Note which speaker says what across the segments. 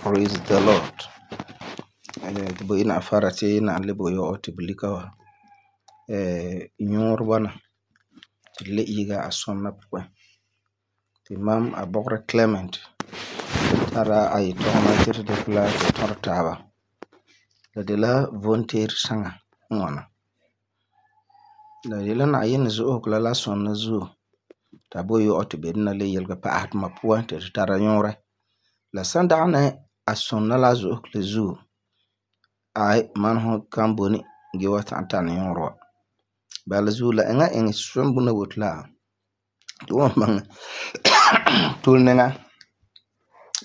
Speaker 1: Praise the Lord. Ti bo ina afara ti na le bo yo ti bulika wa. Nyuur bɔna ti le yiga a sɔnna puan. Ti mam a bɔgera Clement tara a yetɔguma ti tu dikɛ la tu tɔrɔ taaba. La de la vonteer saŋa n ŋwana. La de la Na'ayinɛ zo'osegɔ la la sɔnna zuo ta bo yo ti bedina le yelege pa'asɛ tuma puan ti tu tara nyuurɛ. La san dagena a sɔnna la zo'osegɔ la zuo, mam ho kan boni ge wa ta'am tana nyuurɔ wa. Bala zuo la eŋa iŋɛ sombuna boti la tu wan baŋɛ tole niŋa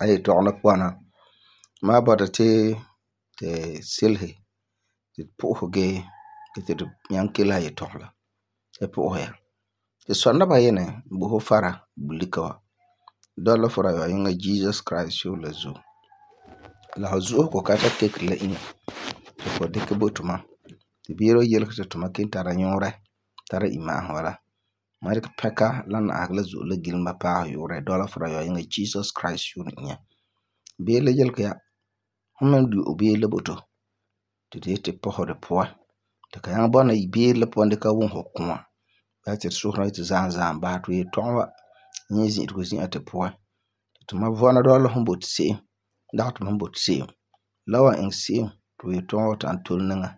Speaker 1: a yetɔgum la puan na. Ma bɔta ti silesi ti tu pu'usɛ gee ti tu nyaŋɛ kelehe a yetɔgum la tu pu'usɛ ya. Ti sɔna Nayinɛ bo fu fara bulika wa. Dɔla fu dayɔa yiŋa Jesus Christ sore la zuo. La fu zo'osegɔ ka ta kekeri la inya ti fu dikɛ bo tuma. Ti beere wa yelegɛ ti tuma kelum tara nyuurɛ tara imma'asum bala. Ma dikɛ pɛka la na'ahegɔ la zo'e la gilema paɛ yu'urɛ dɔla fu dayɔa yiŋa Jesus Christ sore inya. Beere la yelegɛ ya, fu me n du'e beere la bo tu ti tu yeti pɔsɛ di puan. Tu ka nyaŋɛ bɔna beere la puan dikɛ wum fu kua. Bala ti tu sohera yeti zaan zaan basɛ ti yetɔgum wa nyɛ zi'irego zi'an tu puan. Tuma vɔna dɔla fum boti se'em dagɛ ti mam boti se'em. La wan iŋɛ se'em ti fu yetɔgum wa ta'am tole niŋa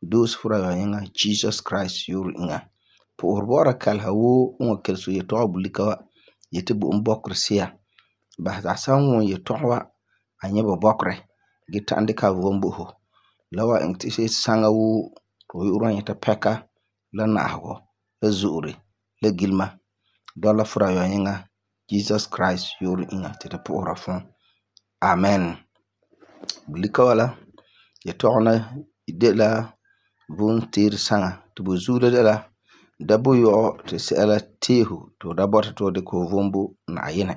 Speaker 1: doose fu dayɔa yiŋa Jesus Christ sore iŋa. Pu'usere bɔ'ɔra kaleha woo n wan kelese fu yetɔgum bulika wa yeti bo e bɔkerɛ si'a. Basɛ ti a san wum yetɔgum wa a nyɛ bu bɔkerɛ gee ta'am dikɛ a vom bo fu. La wan iŋɛ ti saŋa woo ti fu yu'urɛ wan nyɛta pɛka la na'ahegɔ la zo'ore la gilema dɔla fu dayɔa yiŋa Jesus Christ sore iŋa ti tu pu'usera fum. Amen. Bulika wa la yetɔgum la de la vonteer saŋa ti bu zuo la de la da bo yɔ'ɔ ti sɛla tee fu ti fu da bɔta ti fu dikɛ fu vom bo Na'ayinɛ.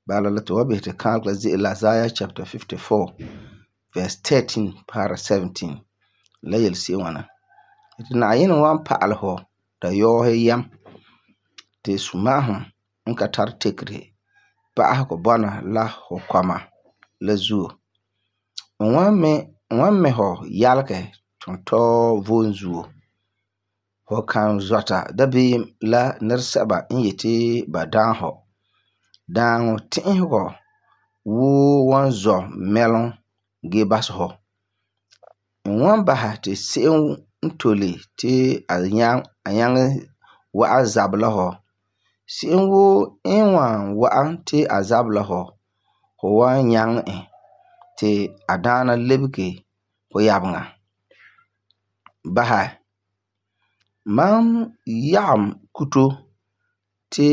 Speaker 1: Bala la tu wan bisɛ ti kaalɛ la ze'ele la Isaiah chapter 54 verse 13 paara 17. La yelese'ere n ŋwana. Ti Na'ayinɛ wan pa'alɛ fu dayɔɔsi yam ti suma'ahum n ka tari tekere pa'asegɔ bɔna la fu kɔma la zuo. N wan mɛ fu yalegɛ tuntɔɔ vom zuo. Fu kan zɔta dabeem la nɛresɛba n yeti ba dagɛ fu. Daaŋɔ ti'isegɔ woo wan zɔ mɛlum gee basɛ fu. N wan basɛ ti se'em n tole ti a nyaŋɛ wa'am zabɛ la fu. Se'em woo n wan wa'am ti a zabɛ la fu, fu wan nyaŋɛ e ti a daana lebege fu yabeŋa. Basɛ, mam yagum kuto ti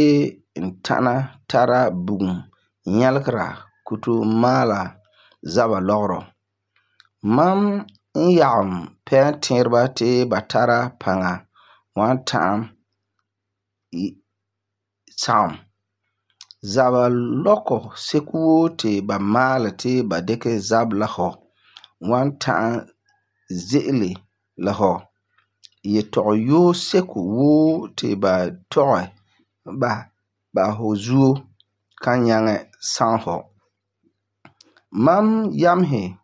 Speaker 1: n tana tara bugum nyɛlegera kuto maala zaba lɔgerɔ. Mam n yagum pɛɛntɛɛreba ti ba tara paŋa wan ta'am sagum. Zaba lɔkɔ seko woo ti ba maali ti ba dikɛ zabɛ la fu wan ta'am ze'ele la fu. Yetɔgum yoo seko woo ti ba tɔgɛ ba fu zuo kan nyaŋɛ sagum fu. Mam yamesi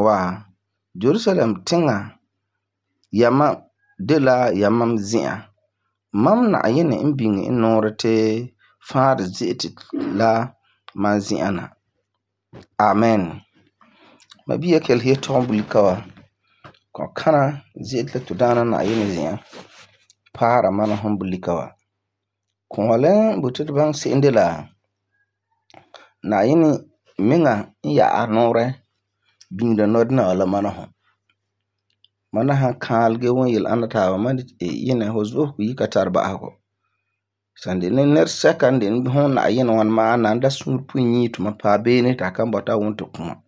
Speaker 1: wa, Jerusalem tiŋa yamam de la yamam zi'an. Mam Na'ayinɛ n biŋe n nuurɛ ti faarɛ ze'ete la mam zi'an na. Amen. Ma bia kelese yetɔgum bulika wa. Kɔkana ze'ete la Tudaana Na'ayinɛ zi'an paara mam la fum bulika wa. Kɔɔli n boti tu baŋɛ se'em de la Na'ayinɛ miŋa n ya'ɛ a nuurɛ biŋera nɔdina wa la mam la fum. Mam san kaalɛ gee wum yele-ana taaba, mam yinɛ fu zo'osegɔ yi ka tari ba'asegɔ. San de ni nɛresɛka n de fum Na'ayinɛ ŋwana ma'a nan da suure puyinyiim tuma paɛ beene ti a kan bɔta a wum tu kua.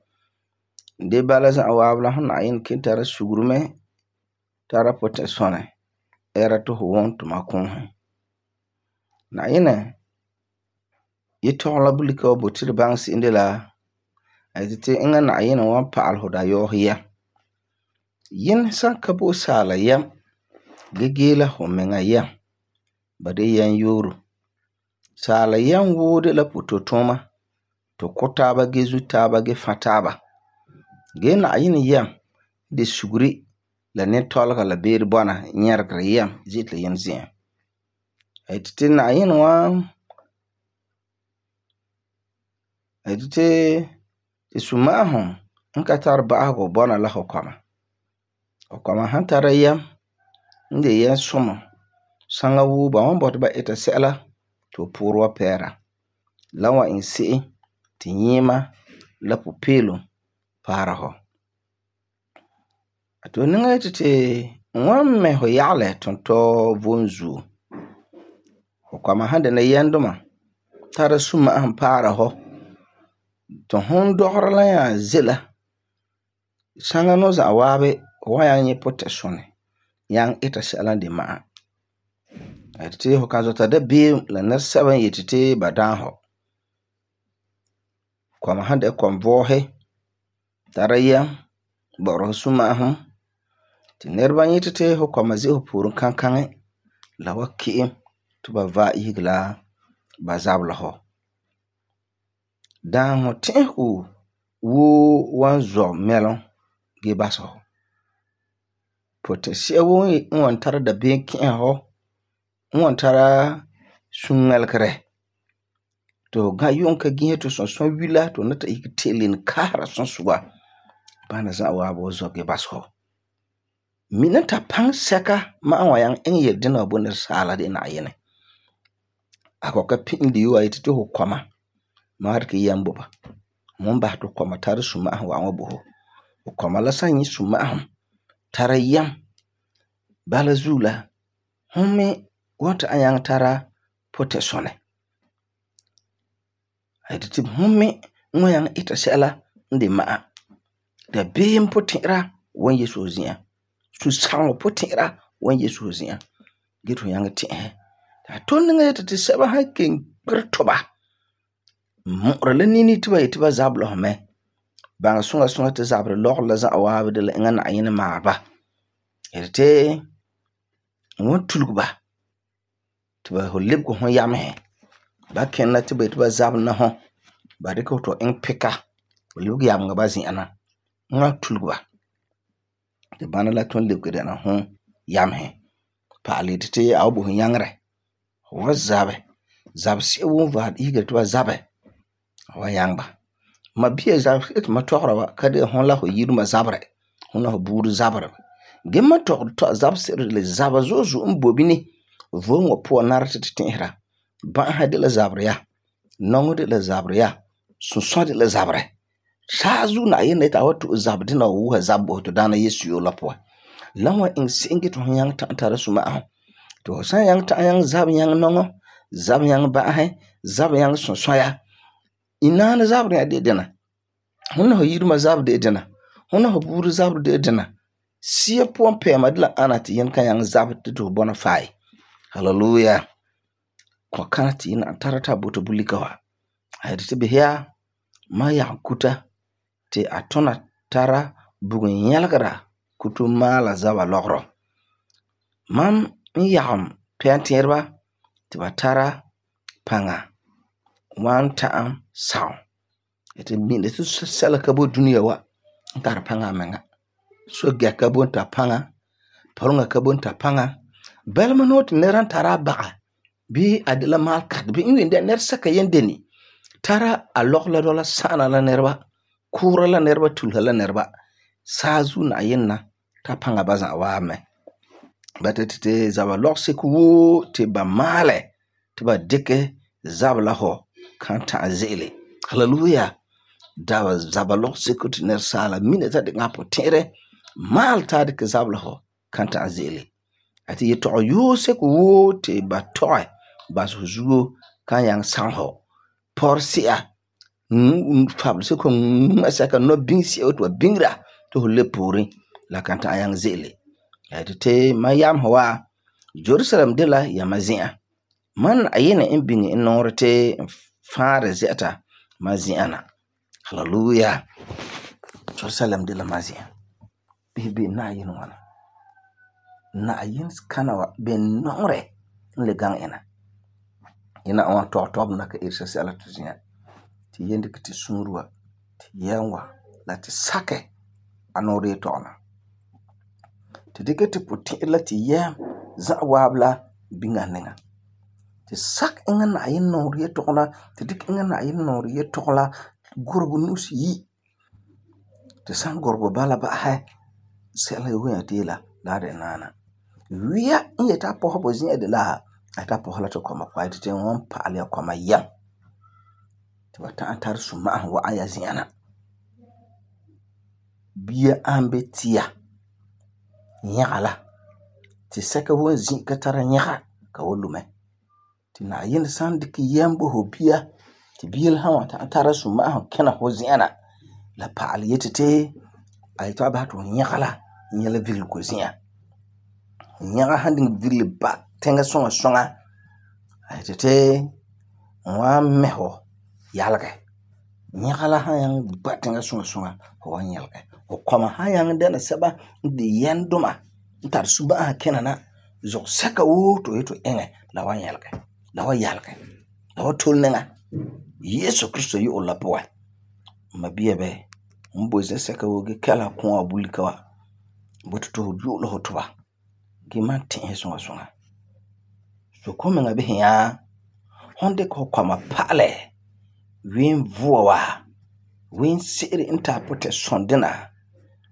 Speaker 1: De bala za'a waabi la fum Na'ayinɛ kelum tara sugeri mɛ tara potɛsɔnɛ ɛɛra ti fu wum tuma kuusɛ. Na'ayinɛ yetɔgum la bulika wa boti tu baŋɛ se'em de la a yeti ti eŋa Na'ayinɛ wan pa'alɛ fu dayɔɔsi yam. Yinɛ san ka bo saala yam gee gee la fu miŋa yam, ba de yam yooro. Saala yam woo de la poto tuuma. To ko taaba ge zu taaba ge fa taaba. Ge Na'ayinɛ yam de suguri la nɛtɔlega la beere bɔna nyɛregere yam ze'ete la yam zi'an. A yeti ti Na'ayinɛ wan ti suma'ahum n ka tari ba'ahegɔ bɔna la fu kɔma. Fu kɔma han tara yam n de yam sumɔ saŋa woo ba wan bɔta ba ita sɛla ti fu poorɛ wa pɛɛra. La wan iŋɛ se'em ti nyima la pupeelum paara fu. To niŋa yeti ti n wan mɛ fu yagelɛ tuntɔɔ vom zuo. Fu kɔma han dɛna yamduma tara suma'ahum paara fu, ti fum dɔgera la nya ze la, saŋa no za'a waabi fu wan nyaŋɛ nyɛ potɛsunɛ nyaŋɛ ita sɛla n de ma'a. A yeti ti fu kan zɔta dabeem la nɛresɛba n yeti ti ba daam fu. Kɔma han dɛna kɔmvɔɔsi tara yam bɔ'ɔra fu suma'ahum ti nɛreba nyɛti ti fu kɔma ze'ele fu pooren kankaŋi la wan ki'im ti ba vaɛ isege la ba zabela fu. Daaŋɔ ti'isego woo wan zɔ mɛlum gee basɛ fu. Potɛsi'a woo n wan tara dabeem ki'isɛ fu, n wan tara suŋmɛlegere ti fu yuum ka gise ti sunsua wila ti fu ni ta isege te'eleni kaahera sunsuga. Bana za'a waabi wan zɔ gee basɛ fu. Mina ta paŋa sɛka ma'a wan nyaŋɛ iŋɛ yele-dena wa bo nɛresaala de la Na'ayinɛ. A kɔ'ɔm ka pi'ilɛ yoo a yeti ti fu kɔma ma wan dikɛ yam bo ba. Fum basɛ ti fu kɔma tara suma'ahum wa'am wa bo fu. Fu kɔma la san nyɛ suma'ahum tara yam, bala zuo la fum me wan ta'am nyaŋɛ tara potɛsunɛ. A yeti ti fum me n wan nyaŋɛ ita sɛla n de ma'a. Dabeem potɛ'ɛra wan yese fu zi'an. Susageŋɔ potɛ'ɛra wan yese fu zi'an gee ti fu nyaŋɛ ti'isɛ. A tole niŋa yeti ti sɛba han kelum kpere tuba mu'ura la nini ti ba yeti ba zabela fu mɛ. Baŋɛ suŋa suŋa ti zaberɛ lɔgerɔ la za'a waabi de la eŋa Na'ayinɛ maalɛ ba. Yeti ti n wan tulege ba ti fu lebege fum yamesi. Ba kina ti ba yeti ba zabela na fu, ba dikɛ fu ti fu iŋɛ pika fu lebege yameŋa ba zi'an na. N wan tulege ba ti bana la tun lebege dɛna fum yamesi. Pa'alɛ yeti ti a wan bo fu nyaŋerɛ. Fu wan zabɛ. Zabesi'a woo n vaɛ isegera ti ba zabɛ, fu wan nyaŋɛ ba. Mabia zabesi'a ti mam tɔgera wa ka de la fum la fu yiruma zaberɛ, fum la fu buuri zaberɛ. Gee mam tɔgeri zabesi'ire de la zaba zo'e zo'e n boi bini vom wa puan nara ti tu ti'isera. Ba'ahe de la zaberɛ ya, nɔŋɔ de la zaberɛ ya, sunsua de la zaberɛ. Saazuo Na'ayinɛ yeti a wan to'e zabɛ dina wa wusa zabɛ bo fu to daana Yesu yoo la puan. La wan iŋɛ se'em gee ti fu nyaŋɛ ta'am tara suma'ahum. Ti fu san nyaŋɛ ta'am nyaŋɛ zabɛ nyaŋɛ nɔŋɔ, zabɛ nyaŋɛ ba'ahe, zabɛ nyaŋɛ sunsua ya. Inaani zaberɛ ya de dina. Fum la fu yiruma zabɛ de dina. Fum la fu buuri zabɛ de dina. Sia puan pɛɛma de la ana ti yin kan nyaŋɛ zabɛ ti fu bɔna fae. Hallelujah. Kɔkana ti yin na'am tara ti a bota bulika wa. A yeti ti bisɛ ya, mam yagum kuta ti a tuna tara bugum nyɛlegera kuto maala zaba lɔgerɔ. Mam n yagum pɛɛntɛɛreba ti ba tara paŋa wan ta'am sagum. Yeti mina ti sɛla ka boi dunia wa n tari paŋa amiŋa. Sogɛ ka boi n tari paŋa, pɔleŋa ka boi n tari paŋa. Bɛlema nuu ti nɛra n tara a baga bii a de la maalekatɛ bii n wen de nɛresɛka yen deni tara a lɔgerɔ la dɔla sa'ana la nɛreba, kuura la nɛreba, tulesa la nɛreba. Saazuo Na'ayinɛ na ta paŋa ba za'a waabi mɛ. Ba ti zaba lɔgeseko woo ti ba maalɛ ti ba dikɛ zabɛ la fu kan ta'am ze'ele. Hallelujah. Zaba lɔgeseko ti nɛresaala mina ti a dikɛ a puti'irɛ maalɛ ti a dikɛ zabɛ la fu kan ta'am ze'ele. A ti yetɔgɔ yoo seko woo ti ba tɔgɛ basɛ fu zuo kan nyaŋɛ sagum fu. Pɔresi'a, fabeseko, ŋma'sɛka, nɔbiŋesi'a woo ti ba biŋera ti fu lebe pooren la kan ta'am nyaŋɛ ze'ele. A yeti ti mam yamesɛ wa, Jerusalem de la yama zi'an. Mam Na'ayinɛ n biŋe n nuurɛ ti n faarɛ zɛ'ɛta mam zi'an na. Hallelujah. Jerusalem de la mam zi'an. Bisɛ be Na'ayinɛ ŋwana. Na'ayinɛ kana wa ben nɔŋerɛ n le gaŋɛ ina. Yina wan tɔb na ka irsa sɛla tu zi'an. Ti yen dikɛ ti suurwa ti yɛm wa la ti sakɛ anore tɔgna. Ti dikɛ ti puti'irɛ la ti yɛm za'a waab la biŋa niŋa. Ti sak eŋa Na'ayenɛ nɔɔrɛ yetɔgom la, ti dikɛ eŋa Na'ayenɛ nɔɔrɛ yetɔgom la gurebo nu'usiyi. Ti san gurebo bala ba'asɛ sɛla woo ya deela la de naana. Wia n yeti a pɔsɛ bo zi'an de la a yeti a pɔsɛ la tu kɔma puan. A yeti wan pa'alɛ ya kɔma yɛm ti ba ta'am tara suma'ahum wa'am ya zi'an na. Bia an be tia yɛga la ti sɛka woo zi ka tara yɛga ka wan lu mɛ. Ti Na'ayenɛ san dikɛ yɛm bo fu bia ti bia la han wa ta'am tara suma'ahum kina fu zi'an na, la pa'alɛ yeti ti a yeti a basɛ ti fu yɛga la nyɛ la vigelegɔ zi'an. Yɛga han diŋɛ vigele ba tiŋa suŋa suŋa, a yeti ti n wan mɛ fu yalegɛ. Yɛga la han nyaŋɛ ba tiŋa suŋa suŋa, fu wan yɛlegɛ. Fu kɔma han nyaŋɛ dɛna sɛba n de yɛmduma n tari suma'ahum kina na, zugɔ sɛka woo ti fu yeti fu iŋɛ la wan yɛlegɛ, la wan yalegɛ, la wan tole niŋa Yesu Krista yu'urɛ la puan. Ma bia bɛ, n boi zɛsɛka woo ge kɛla kɔma wa bulika wa, n boti ti fu yu'ula fu tuba ge man ti'isɛ suŋa suŋa. Soke fu miŋa bisɛ nya, fum dikɛ fu kɔma pa'alɛ ween vua wa, ween se'ere n ti a potɛn dina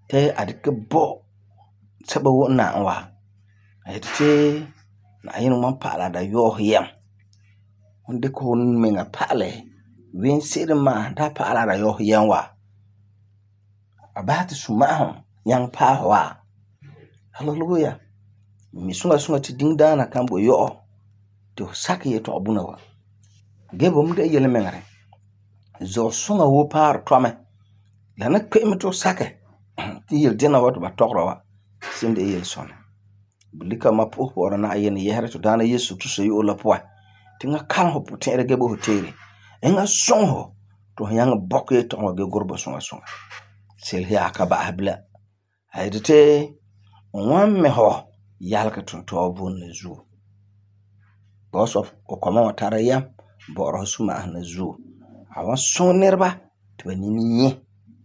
Speaker 1: ti a dikɛ bo sɛba woo n na'am wa. A yeti ti Na'ayenɛ wan pa'alɛ a dayɔɔse yɛm. Fum dikɛ fu miŋa pa'alɛ ween se'ere n maasum ti a pa'alɛ a dayɔɔse yɛm wa, a basɛ ti suma'ahum nyaŋɛ paɛ fu wa. Halleluya. Mi suŋa suŋa ti diŋdaana kan bo yɔ'ɔ ti fu sakɛ yetɔgum buna wa. Ge bo me de yelemiŋerɛ. Zugɔ suŋa woo paarɛ tɔ mɛ. La na kpe'em mɛ ti fu sakɛ ti yele dina wa ti ba tɔgera wa se'em de la yelesɔnɛ. Bulika ma po'ohɛ bɔ'ɔra Na'ayenɛ yɛsera tu Daana Yesu Krista yu'urɛ la puan ti ŋa kalom fu puti'irɛ ge bo fu teere. Eŋa suŋɛ fu ti fu nyaŋɛ bɔkɛ yetɔgom wa ge gurɛ bo suŋa suŋa. Selehe ya a ka ba'asɛ bilam. A yeti ti n wan mɛ fu yalegɛ tuntɔɔ vom la zuo. Because of fu kɔma wa tara yɛm bɔ'ɔra fu suma'ahum la zuo. A wan suŋɛ nɛreba ti ba nini nyɛ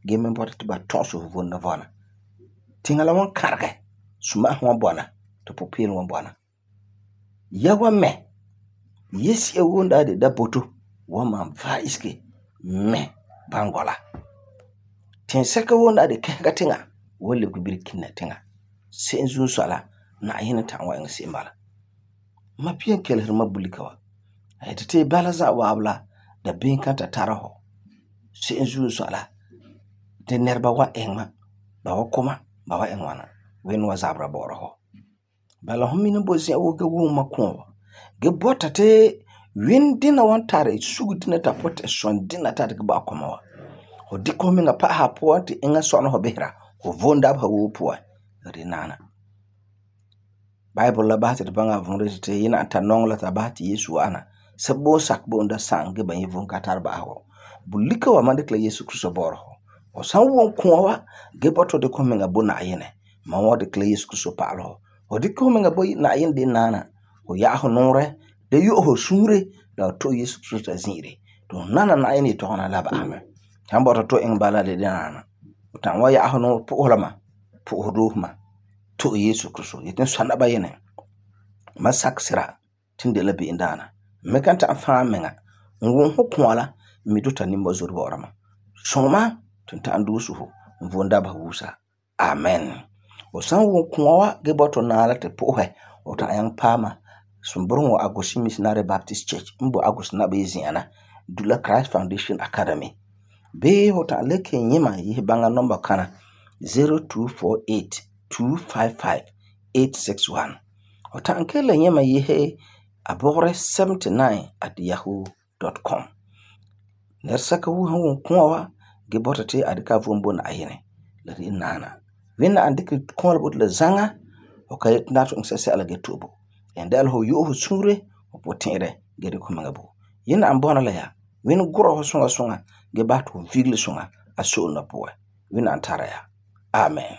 Speaker 1: ge me bɔta ti ba tɔ'ɔsɛ fu vom la vɔna. Tiŋa la wan kãregɛ, suma'ahum wan bɔna ti pupeelum wan bɔna. Ya wan mɛ yesi'a woo n daa de daboto wan maan vaɛ isege mɛ bãngɔ la. Tiŋsɛka woo n daa de kɛsega tiŋa wan lebege birikina tiŋa. Se'em zuo n sɔi la, Na'ayenɛ ta'am wan iŋɛ se'em bala. Ma pia n keleseri ma bulika wa. A yeti ti bala za'a waabe la dabeem kan ta tara fu. Se'em zuo n sɔi la, ti nɛreba wan iŋɛ ma, ba wan kɔ ma, ba wan iŋɛ ŋwana, Wẽnd wan zabera bɔ'ɔra fu. Bala fum mi ni bo zi'an woo ge wum ma kɔɔ wa. Ge bɔta ti Wẽnd dina wan tari sugu dina ta potɛ sɔn dina ta dikɛ bo a kɔma wa. Fu dikɛ fu miŋa pa'asɛ a puan ti eŋa sɔna fu bisera fu vom dabeha woo puan. La de naana. Bible la basɛ ti tu baŋɛ a vuurɛ ti yina n ta nɔŋɛ la ta basɛ ti Yesu wa'ana. Sɛba boo sakɛ bo da sa'am ge ba nyɛ vom ka tara ba'asegɔ. Bulika wa man dikɛ la Yesu Krista bɔ'ɔra fu. Fu san wum kũa wa ge bɔta fu dikɛ fu miŋa bo Na'ayenɛ, man wan dikɛ la Yesu Krista pa'alɛ fu. Fu dikɛ fu miŋa bo Na'ayenɛ de naana, fu ya'asɛ nuurɛ, da yu'ɛ fu suure la fu to'e Yesu Krista zi'ire. Ti fu nana Na'ayenɛ yetɔgom na la ba'asɛ mɛ. Han bɔta tu iŋɛ bala de naana. Fu ta'am wan ya'asɛ nuurɛ po'ohera ma, po'ohɛ doose ma, to'e Yesu Krista. Yeti sɔna ba Na'ayenɛ, ma sakɛ sira ti n de la be'em daana. Me kan ta'am fãa miŋa. N wum fu kũa la, n mi ti fu ta nimba zore bɔ'ɔra ma. Suŋɛ ma ti n ta'am duuse fu n vom dabeha wuusa. Amen. Fu san wum kũa wa ge bɔta fu naana ti po'ohɛ, fu ta'am nyaŋɛ paama sumbureŋɔ wa Agusi Missionary Baptist Church n bo Agusi Nabaye zi'an na, Dula Christ Foundation Academy. Bee fu ta'am le kelum nyɛ ma yese baŋa nɔmba kana 0248 255 861. Fu ta'am kelum le nyɛ ma yese abɔgerɛ 79@yahoo.com. Nɛresɛka woo han wum kũa wa ge bɔta ti a dikɛ a vom bo Na'ayenɛ, la de naana. Wẽnd na an dikɛ kũa la bo tu la zaŋa, fu ka yeti na tu iŋɛ sɛsɛla ge to'e bo. En dɛla fu yu'ɛ fu suure, fu puti'irɛ ge dikɛ fu miŋa bo. Yẽna an bɔna la ya. Wẽnd gurɛ fu suŋa suŋa ge basɛ ti fu vigele suŋa a so'olum la puan. Wẽnd na an tara ya. Amen.